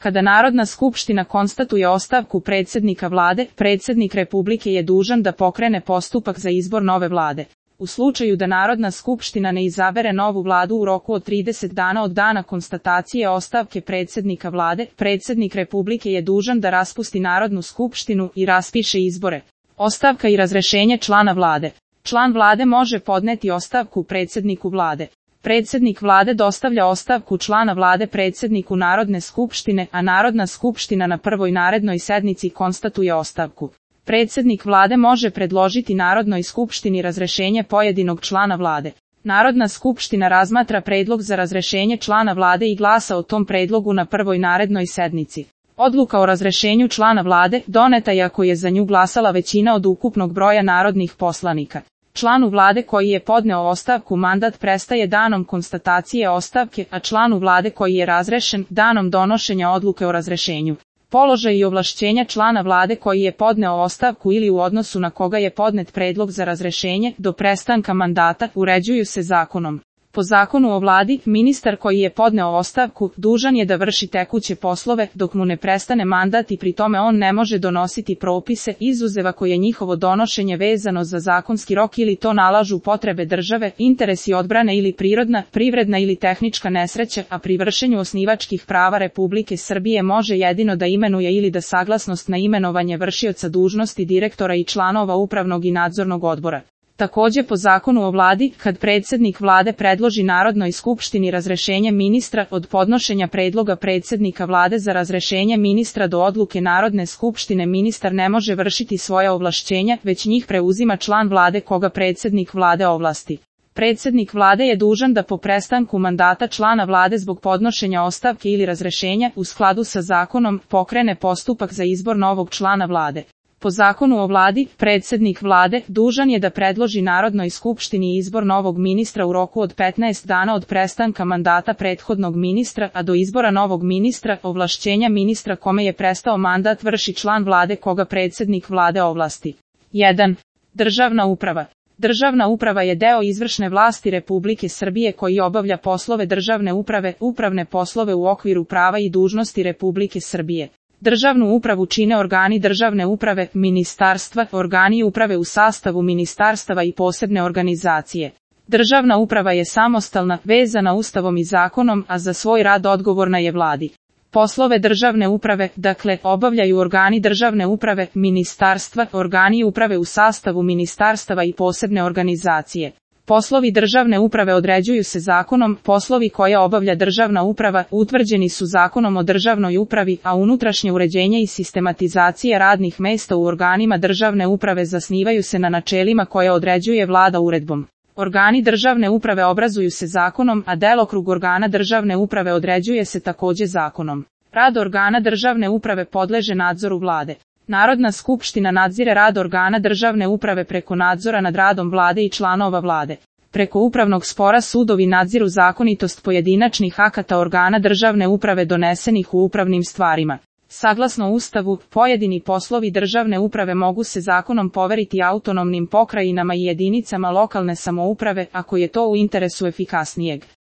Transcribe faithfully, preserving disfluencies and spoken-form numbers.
Kada Narodna skupština konstatuje ostavku predsjednika vlade, predsjednik Republike je dužan da pokrene postupak za izbor nove vlade. U slučaju da Narodna skupština ne izabere novu vladu u roku od trideset dana od dana konstatacije ostavke predsjednika vlade, predsjednik Republike je dužan da raspusti Narodnu skupštinu i raspiše izbore. Ostavka i razrešenje člana vlade. Član vlade može podneti ostavku predsjedniku vlade. Predsjednik vlade dostavlja ostavku člana vlade predsjedniku Narodne skupštine, a Narodna skupština na prvoj narednoj sednici konstatuje ostavku. Predsjednik vlade može predložiti Narodnoj skupštini razrešenje pojedinog člana vlade. Narodna skupština razmatra predlog za razrešenje člana vlade i glasa o tom predlogu na prvoj narednoj sednici. Odluka o razrešenju člana vlade doneta je ako je za nju glasala većina od ukupnog broja narodnih poslanika. Članu vlade koji je podneo ostavku mandat prestaje danom konstatacije ostavke, a članu vlade koji je razrešen danom donošenja odluke o razrešenju. Položaj i ovlašćenja člana vlade koji je podneo ostavku ili u odnosu na koga je podnet predlog za razrešenje do prestanka mandata uređuju se zakonom. Po zakonu o vladi, ministar koji je podneo ostavku dužan je da vrši tekuće poslove dok mu ne prestane mandat i pri tome on ne može donositi propise izuzev ako je njihovo donošenje vezano za zakonski rok ili to nalažu potrebe države, interesi odbrane ili prirodna, privredna ili tehnička nesreća, a pri vršenju osnivačkih prava Republike Srbije može jedino da imenuje ili da saglasnost na imenovanje vršioca dužnosti direktora i članova upravnog i nadzornog odbora. Takođe po zakonu o vladi, kad predsjednik vlade predloži Narodnoj skupštini razrešenje ministra, od podnošenja predloga predsjednika vlade za razrešenje ministra do odluke Narodne skupštine ministar ne može vršiti svoja ovlašćenja, već njih preuzima član vlade koga predsjednik vlade ovlasti. Predsjednik vlade je dužan da po prestanku mandata člana vlade zbog podnošenja ostavke ili razrešenja, u skladu sa zakonom, pokrene postupak za izbor novog člana vlade. Po zakonu o vladi, predsjednik vlade dužan je da predloži Narodnoj skupštini izbor novog ministra u roku od petnaest dana od prestanka mandata prethodnog ministra, a do izbora novog ministra, ovlašćenja ministra kome je prestao mandat vrši član vlade koga predsjednik vlade ovlasti. jedan. Državna uprava. Državna uprava je deo izvršne vlasti Republike Srbije koji obavlja poslove državne uprave, upravne poslove u okviru prava i dužnosti Republike Srbije. Državnu upravu čine organi državne uprave, ministarstva, organi uprave u sastavu ministarstava i posebne organizacije. Državna uprava je samostalna, vezana Ustavom i zakonom, a za svoj rad odgovorna je vladi. Poslove državne uprave, dakle, obavljaju organi državne uprave, ministarstva, organi uprave u sastavu ministarstava i posebne organizacije. Poslovi državne uprave određuju se zakonom, poslovi koje obavlja državna uprava utvrđeni su zakonom o državnoj upravi, a unutrašnje uređenje i sistematizacija radnih mesta u organima državne uprave zasnivaju se na načelima koje određuje vlada uredbom. Organi državne uprave obrazuju se zakonom, a delokrug organa državne uprave određuje se takođe zakonom. Rad organa državne uprave podleže nadzoru vlade. Narodna skupština nadzire rad organa državne uprave preko nadzora nad radom vlade i članova vlade. Preko upravnog spora sudovi nadziru zakonitost pojedinačnih akata organa državne uprave donesenih u upravnim stvarima. Saglasno Ustavu, pojedini poslovi državne uprave mogu se zakonom poveriti autonomnim pokrajinama i jedinicama lokalne samouprave ako je to u interesu efikasnijeg